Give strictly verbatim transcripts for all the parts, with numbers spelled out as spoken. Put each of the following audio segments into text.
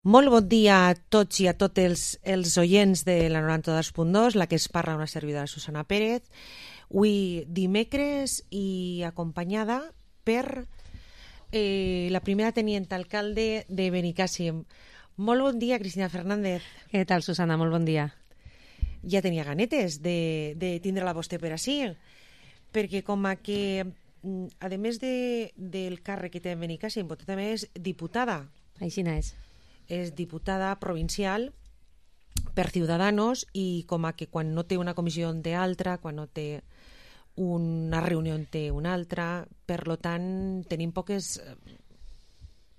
Molt bon dia a tots i a tots els, els oients de la noranta-dos punt dos, la que es parla una servidora Susana Pérez. Avui dimecres i acompanyada per eh, la primera teniente alcalde de Benicàssim. Molt bon dia, Cristina Fernández. Què tal, Susana? Molt bon dia. Ja tenia ganetes de, de tindre-la vostè per ací, perquè com a que, a més de, del càrrec que té en Benicàssim, vostè també és diputada. Així és. És diputada provincial per Ciudadanos i com a que quan no té una comissió en té altra, quan no té una reunió en té una altra, per lo tant tenim poques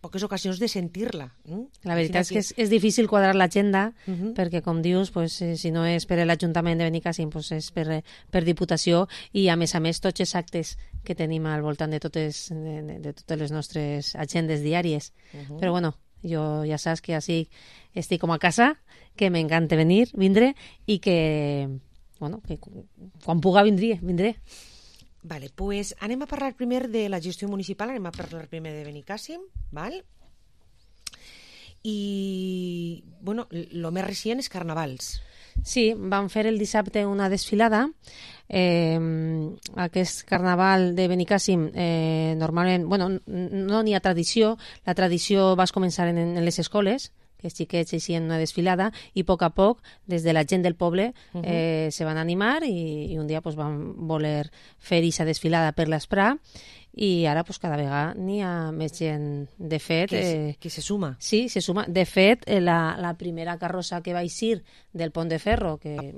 poques ocasions de sentir-la. Eh? La veritat és que és, és difícil quadrar l'agenda uh -huh. perquè, com dius, pues, eh, si no és per l'Ajuntament de Benicàssim, pues és per, per Diputació i, a més a més, tots els actes que tenim al voltant de totes, de, de, de totes les nostres agendes diàries. Uh -huh. Però, bueno, jo ja saps que així estic com a casa, que m'encanta venir, vindre, i que, bueno, que quan puga vindré, vindré. Vale, pues anem a parlar primer de la gestió municipal, anem a parlar primer de Benicàssim, val? I, bueno, el més recent és Carnavals. Sí, vam fer el dissabte una desfilada. Eh, aquest carnaval de Benicàssim eh, normalment, bueno, no n'hi ha tradició, la tradició va començar en, en les escoles, que els xiquets eixien una desfilada, i a poc a poc, des de la gent del poble, uh -huh. eh, se van animar i, i un dia pues, van voler fer aquesta desfilada per l'Esprà, i ara pues, cada vegada n'hi ha més gent. De fet... Que, eh, que se suma. Sí, se suma. De fet, eh, la, la primera carrossa que va eixir del Pont de Ferro, que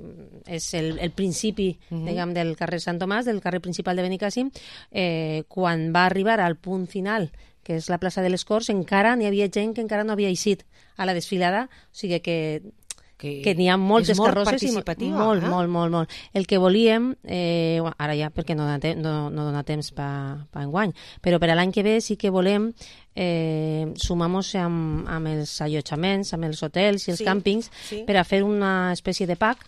és el, el principi, uh -huh. diguem, del carrer Sant Tomàs, del carrer principal de Benicàssim, eh, quan va arribar al punt final, que és la plaça de les Corts, encara n'hi havia gent que encara no havia eixit a la desfilada, o sigui que que, que n'hi ha moltes molt carrosses i molt, eh? molt, molt, molt. El que volíem, eh, ara ja perquè no dona, te no, no dona temps per pa enguany, però per a l'any que ve sí que volem eh, sumar-nos amb, amb els allotjaments, amb els hotels i els sí, càmpings sí. per a fer una espècie de pack,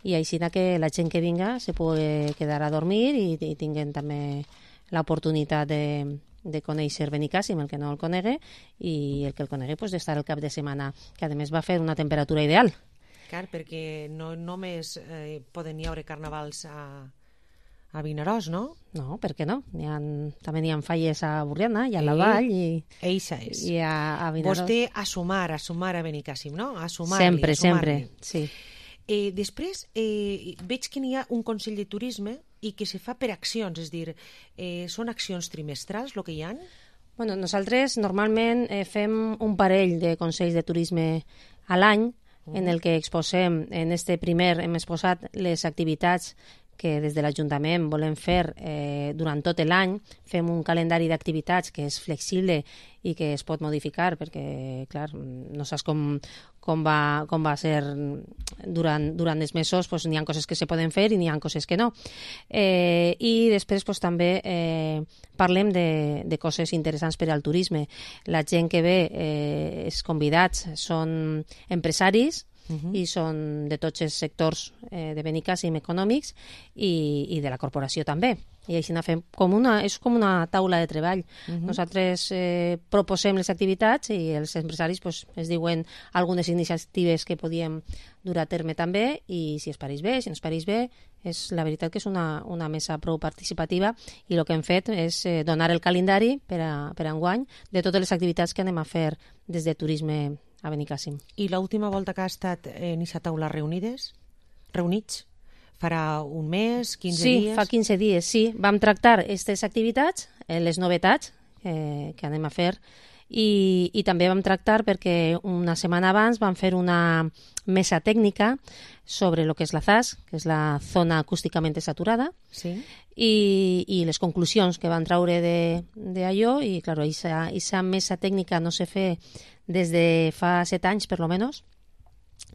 i així que la gent que vinga se pugui quedar a dormir i, i tinguin també l'oportunitat de de conèixer Benicàssim, el que no el conegui, i el que el conegui pues, d'estar el cap de setmana, que a més va fer una temperatura ideal. Clar, perquè no només eh, poden hi haure carnavals a, a Vinaròs, no? No, per què no? N'hi ha, també n'hi ha falles a Borriana i a la Vall i, Eixa és. i a, a Vinaròs. Vostè a sumar, a sumar a Benicàssim, no? A sumar-li, sempre, a sumar-li. sempre, sí. Eh, després, eh, veig que n'hi ha un Consell de Turisme i que se fa per accions, és a dir, eh, són accions trimestrals el que hi ha? Bueno, nosaltres normalment eh, fem un parell de Consells de Turisme a l'any, uh -huh. en el que exposem, en este primer hem exposat les activitats que des de l'Ajuntament volem fer eh, durant tot l'any. Fem un calendari d'activitats que és flexible i que es pot modificar perquè, clar, no saps com, com, va, com va ser durant, durant els mesos, pues, n'hi ha coses que se poden fer i n'hi ha coses que no. Eh, I després pues, també eh, parlem de, de coses interessants per al turisme. La gent que ve, eh, els convidats, són empresaris, Uh-huh. i són de tots els sectors eh, de Benicàssim econòmics i, i de la corporació també. I així fem com una, és com una taula de treball. Uh-huh. Nosaltres eh, proposem les activitats i els empresaris pues, es diuen algunes iniciatives que podíem dur a terme també, i si es pareix bé, si no es pareix bé, és la veritat que és una, una mesa prou participativa, i el que hem fet és eh, donar el calendari per a, per a enguany de totes les activitats que anem a fer des de turisme a Benicàssim. I l'última volta que ha estat en aquesta taula reunides, reunits, farà un mes, quinze sí, dies? Sí, fa quinze dies, sí. Vam tractar aquestes activitats, eh, les novetats eh, que anem a fer, i, i també vam tractar perquè una setmana abans vam fer una mesa tècnica sobre el que és la Z A S, que és la zona acústicament saturada, sí. i, i les conclusions que van traure d'allò, i clar, aquesta mesa tècnica no se fe des de fa set anys, per lo menos,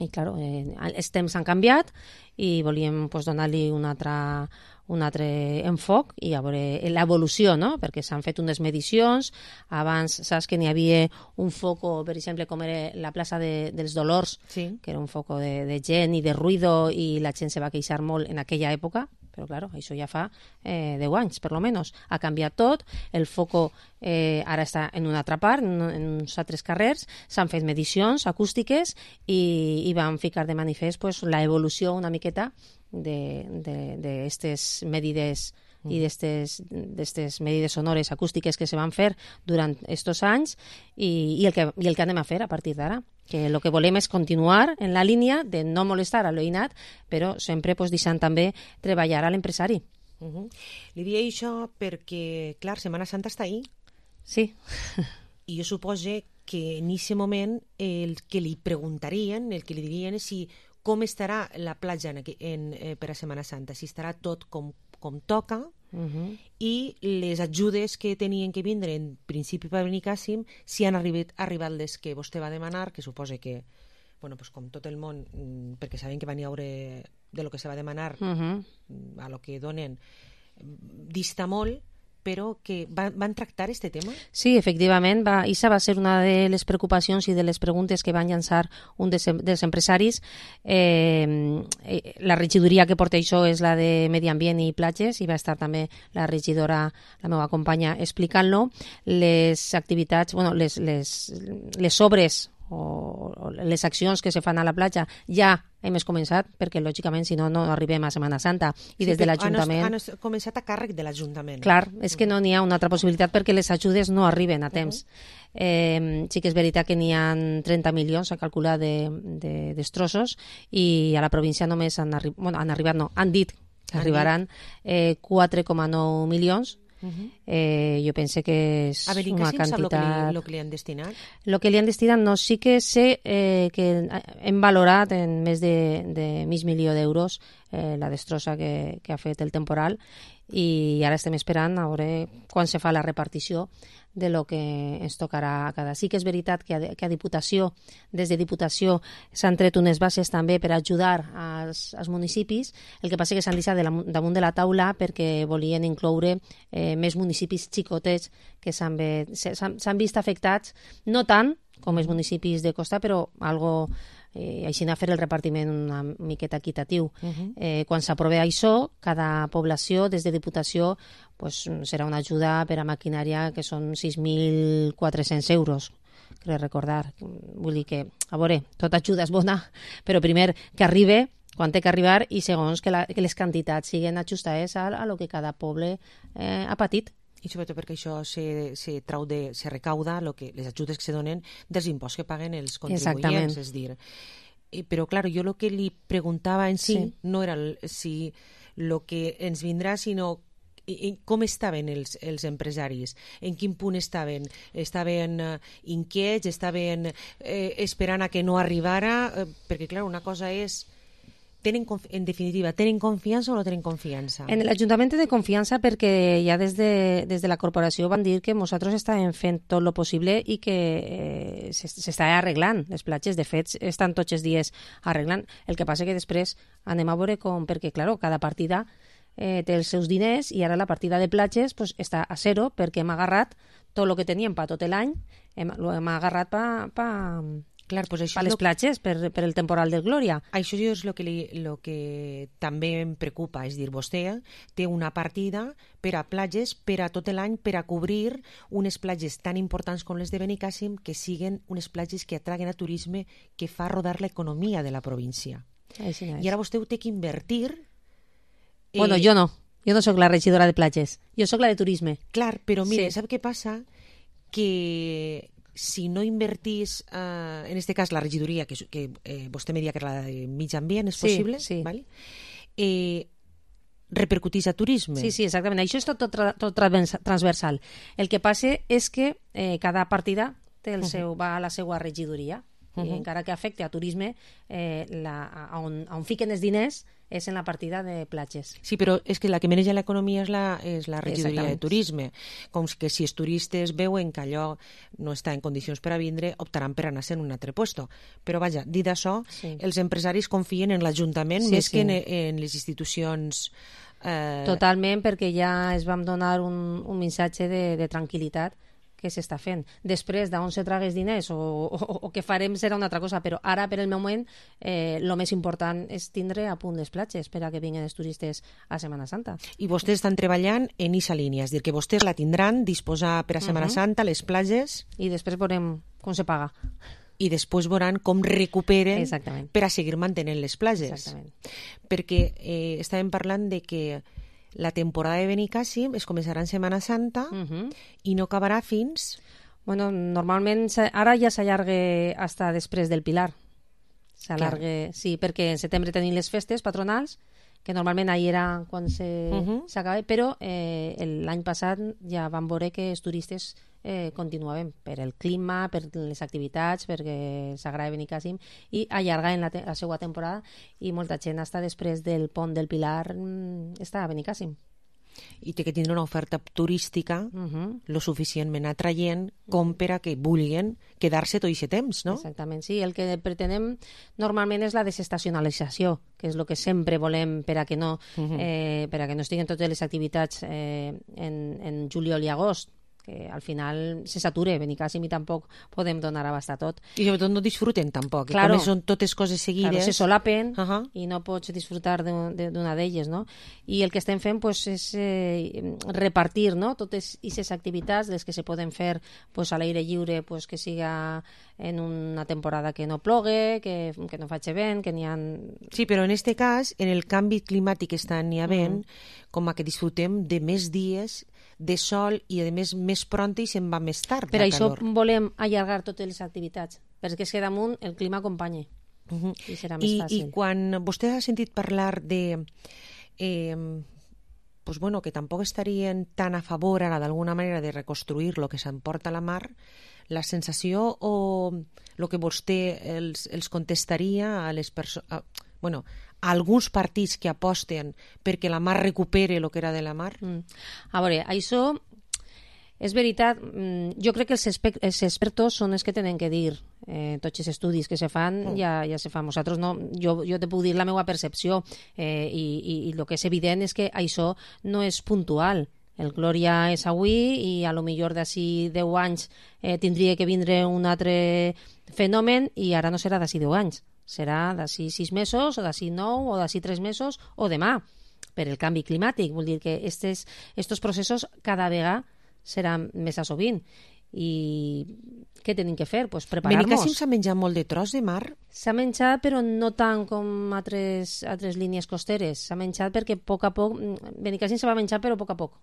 i clar, eh, els temps han canviat i volíem pues, donar-li un altre, un altre enfoc i a veure l'evolució, no? Perquè s'han fet unes medicions. Abans saps que n'hi havia un foco, per exemple, com era la plaça de, dels Dolors, sí. que era un foco de, de gent i de ruïdo, i la gent se va queixar molt en aquella època, però claro, això ja fa eh, deu anys, per lo menos. Ha canviat tot, el foco eh, ara està en una altra part, en, en uns altres carrers, s'han fet medicions acústiques i, i van ficar de manifest pues, la evolució una miqueta d'aquestes medides i d'aquestes medides sonores acústiques que se van fer durant aquests anys i, i, el que, i el que anem a fer a partir d'ara. Que el que volem és continuar en la línia de no molestar a l'oïnat, però sempre pues, deixant també treballar a l'empresari. Uh -huh. Li deia això perquè, clar, Setmana Santa està ahí. Sí. I jo suposo que en aquest moment el que li preguntarien, el que li dirien és si com estarà la platja en, en, eh, per a Setmana Santa, si estarà tot com, com toca, uh-huh. i les ajudes que tenien que vindre en principi per Benicàssim, si han arribat, arribat les que vostè va demanar, que suposa que, bueno, pues com tot el món, perquè sabem que van hi haure de lo que se va demanar uh-huh. a lo que donen, dista molt, però que van, van tractar este tema? Sí, efectivament, va, Isa va ser una de les preocupacions i de les preguntes que van llançar un dels, dels empresaris. Eh, la regidoria que porta això és la de Medi Ambient i Platges, i va estar també la regidora, la meva companya, explicant-lo. Les activitats, bueno, les, les, les obres o les accions que se fan a la platja ja hem començat, perquè lògicament si no, no arribem a Setmana Santa. I sí, des de l'Ajuntament... Han, han començat a càrrec de l'Ajuntament. Clar, és que no n'hi ha una altra possibilitat perquè les ajudes no arriben a temps. Uh-huh. eh, sí que és veritat que n'hi ha trenta milions a calcular de, de destrossos i a la província només han, arri... bueno, han arribat, no, han dit que arribaran eh, quatre coma nou milions. Uh-huh. eh, jo pense que és a veure, una quantitat... quantitat... Sap el que, li, que li han destinat? El que li han destinat no, sí que sé eh, que hem valorat en més de, de mig milió d'euros eh, la destrossa que, que ha fet el temporal, i ara estem esperant a veure quan se fa la repartició de lo que ens tocarà a cada. Sí que és veritat que a, que a Diputació, des de Diputació s'han tret unes bases també per ajudar als, als municipis. El que passa que s'han deixat de la, damunt de la taula perquè volien incloure eh, més municipis xicotets que s'han vist afectats, no tant com els municipis de costa, però algo eh, així anar a fer el repartiment una miqueta equitatiu. Uh-huh. eh, quan s'aprova això, cada població des de Diputació pues, serà una ajuda per a maquinària que són sis mil quatre-cents euros, crec recordar. Vull dir que, a veure, tota ajuda és bona, però primer que arribe quan té que arribar i segons que, la, que les quantitats siguin ajustades a, a lo que cada poble eh, ha patit. I sobretot perquè això se, se trau de, se recauda lo que, les ajudes que se donen dels imposts que paguen els contribuents. És dir, eh, però, clar, jo el que li preguntava en si, sí. no era el, si el que ens vindrà, sinó i, com estaven els, els empresaris, en quin punt estaven, estaven uh, inquiets, estaven eh, esperant a que no arribara, eh, perquè, clar, una cosa és tenen, en definitiva, tenen confiança o no tenen confiança? En l'Ajuntament de confiança perquè ja des de, des de la corporació van dir que nosaltres estàvem fent tot el possible i que eh, s'està arreglant les platges. De fet, estan tots els dies arreglant. El que passa que després anem a veure com, perquè, clar, cada partida eh, té els seus diners i ara la partida de platges pues, està a zero perquè hem agarrat tot el que teníem per tot l'any, hem, hem agarrat per... Pa, Clar, pues això a les platges, per, per el temporal del Glòria. Això és el que, li, lo que també em preocupa, és dir, vostè té una partida per a platges, per a tot l'any, per a cobrir unes platges tan importants com les de Benicàssim, que siguen unes platges que atraguen a turisme, que fa rodar l'economia de la província. Així no és. I ara vostè ho té que invertir. Eh... Bueno, jo no. Jo no sóc la regidora de platges. Jo sóc la de turisme. Clar, però mire, sí. sap què passa? Que si no invertís, eh, en este cas la regidoria, que, que eh, vostè me dia que era la de mig ambient, és sí, possible? Sí, vale? eh, repercutís a turisme. Sí, sí, exactament. Això és tot, tot, tot transversal. El que passa és que eh, cada partida té el seu, uh-huh. va a la seva regidoria, uh-huh. i encara que afecte a turisme, eh, la, a, on, a on fiquen els diners és en la partida de platges. Sí, però és que la que maneja l'economia és la, és la regidoria de turisme. Com que si els turistes veuen que allò no està en condicions per a vindre, optaran per anar-se en un altre puesto. Però vaja, dit això, sí. els empresaris confien en l'Ajuntament sí, més sí. que en, en les institucions... Eh... Totalment, perquè ja es vam donar un, un missatge de, de tranquil·litat que s'està fent. Després, d'on se tragués diners o, o, o què farem serà una altra cosa, però ara, per el moment, el eh, més important és tindre a punt les platges per a que vinguin els turistes a Setmana Santa. I vostès estan treballant en aquesta línia, és a dir, que vostès la tindran disposar per a Setmana uh-huh. Santa, les platges... I després veurem com se paga. I després veuran com recuperen Exactament. Per a seguir mantenint les platges. Exactament. Perquè eh, estàvem parlant de que la temporada de Benicàssim es començarà en Setmana Santa uh-huh. i no acabarà fins... Bueno, normalment ara ja s'allarga fins després del Pilar. S'allarga, sí, perquè en setembre tenim les festes patronals, que normalment ahir era quan s'acaba, uh-huh. però eh, l'any passat ja vam veure que els turistes eh, continuaven per el clima, per les activitats, perquè s'agrada Benicàssim, i allargar en la, te la seva temporada, i molta gent està després del pont del Pilar mm, està a Benicàssim. I té que tindre una oferta turística uh-huh. lo suficientment atraient com per a que vulguin quedar-se tot aquest temps, no? Exactament, sí. El que pretenem normalment és la desestacionalització, que és el que sempre volem per a que no, uh-huh. eh, per a que no estiguen totes les activitats eh, en, en juliol i agost, que al final se sature Benicàssim i tampoc podem donar abast a tot. I sobretot no disfruten tampoc, claro, com són totes coses seguides. Claro, se solapen uh-huh. i no pots disfrutar d'una d'elles, no? I el que estem fent pues, és eh, repartir, no? Totes aquestes activitats, les que se poden fer pues, a l'aire lliure, pues, que siga en una temporada que no plogue, que, que no faci vent, que n'hi ha... Sí, però en este cas, en el canvi climàtic que està n'hi havent, mm. com a que disfrutem de més dies de sol i, a més, més pront i se'n va més tard. Per això calor. Volem allargar totes les activitats, perquè és que damunt el clima acompanya uh-huh. i serà més I, fàcil. I quan vostè ha sentit parlar de... Eh, pues bueno, que tampoc estarien tan a favor ara d'alguna manera de reconstruir lo que s'emporta a la mar, la sensació o el que vostè els, els contestaria a les persones... Bueno, a alguns partits que aposten perquè la mar recupere el que era de la mar? Mm. A veure, això és veritat. Jo crec que els, els expertos són els que tenen que dir eh, tots els estudis que se fan, mm. ja, ja se fan. Nosaltres no, jo, jo te puc dir la meva percepció eh, i, i, i el que és evident és que això no és puntual. El Glòria és avui i a lo millor d'ací deu anys eh, tindria que vindre un altre fenomen i ara no serà d'ací deu anys. Serà d'ací sis mesos, o d'ací nou, o d'ací tres mesos, o demà, per el canvi climàtic. Vol dir que estos, estos processos cada vegada seran més a sovint. I què tenim que fer? Pues preparar-nos. Benicàssim s'ha menjat molt de tros de mar? S'ha menjat, però no tant com altres, altres línies costeres. S'ha menjat perquè a poc a poc... Benicàssim se va menjar, però a poc a poc.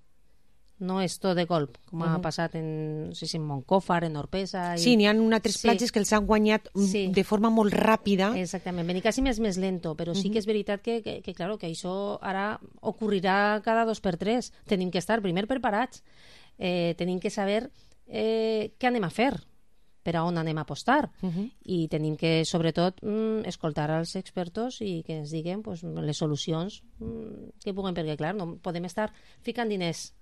No és tot de colp, com uh-huh. ha passat en, no sé si en Montcòfar, en Orpesa... I... Sí, n'hi ha una altres sí. platges que els han guanyat sí. de forma molt ràpida. Exactament. Benicàssim és més lento, però sí uh-huh. que és veritat que, que, que, claro, que això ara ocorrirà cada dos per tres. Tenim que estar primer preparats, eh, tenim que saber eh, què anem a fer, per a on anem a apostar, uh-huh. i tenim que, sobretot, mm, escoltar els expertos i que ens diguen pues, les solucions mm, que puguen, perquè, clar, no podem estar ficant diners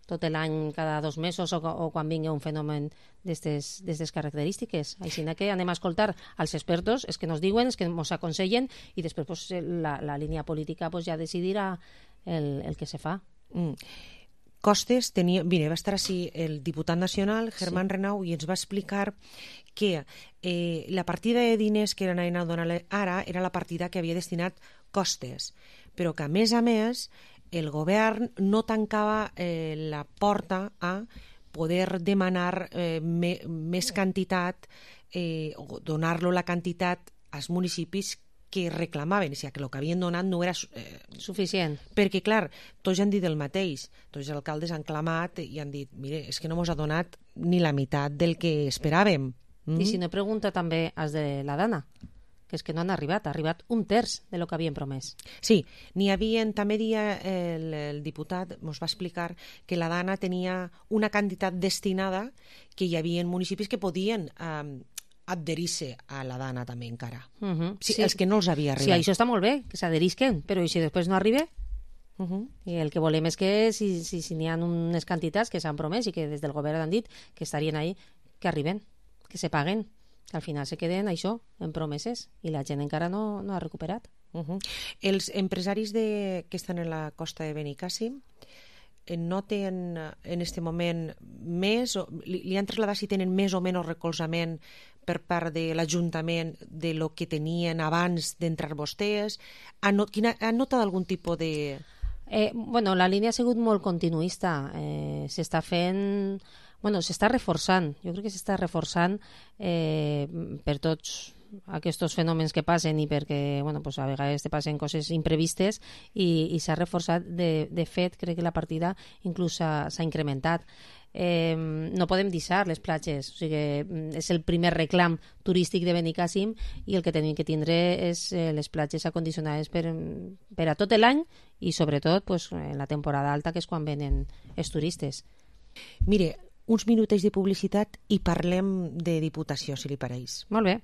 tot l'any, cada dos mesos o, o quan vingui un fenomen d'aquestes característiques. Així que anem a escoltar als expertos, els que ens diuen, els que ens aconsellen, i després pues, la, la línia política pues, ja decidirà el, el que se fa. Mm. Costes tenia... Mira, va estar així el diputat nacional, Germán sí. Renau, i ens va explicar que eh, la partida de diners que anaven a donar ara era la partida que havia destinat Costes, però que, a més a més, el govern no tancava eh, la porta a poder demanar eh, me, més quantitat eh, o donar-lo la quantitat als municipis que reclamaven, o sigui, que el que havien donat no era eh, suficient. Perquè, clar, tots han dit el mateix. Tots els alcaldes han clamat i han dit, mire, és que no mos ha donat ni la meitat del que esperàvem. Mm? I si no, pregunta també als de la Dana, que és que no han arribat, ha arribat un terç de lo que havien promès. Sí, n'hi havia, també dia el, el diputat ens va explicar que la Dana tenia una quantitat destinada, que hi havia municipis que podien eh, adherir-se a la Dana també encara. Uh-huh. Sí, sí. Els que no els havia arribat. Sí, això està molt bé, que s'adherisquen, però i si després no arriba? Uh-huh. I el que volem és que si, si, si n'hi ha unes quantitats que s'han promès i que des del govern han dit que estarien ahí, que arriben, que se paguen, que al final se queden això, en promeses, i la gent encara no, no ha recuperat. Uh-huh. Els empresaris de, que estan en la costa de Benicàssim noten en este moment més, o li, li han trasladat si tenen més o menys recolzament per part de l'Ajuntament de lo que tenien abans d'entrar vostès? Han, not, quina, han notat algun tipus de... Eh, bueno, la línia ha sigut molt continuista. Eh, s'està fent... Bueno, s'està reforçant. Jo crec que s'està reforçant eh, per tots aquests fenòmens que passen i perquè bueno, pues a vegades te passen coses imprevistes i, i s'ha reforçat. De, de fet, crec que la partida inclús s'ha incrementat. Eh, no podem deixar les platges, o sigui, és el primer reclam turístic de Benicàssim i el que tenim que tindre és eh, les platges acondicionades per, per a tot l'any i sobretot pues, en la temporada alta, que és quan venen els turistes. Mire, uns minutets de publicitat i parlem de Diputació, si li pareix. Molt bé.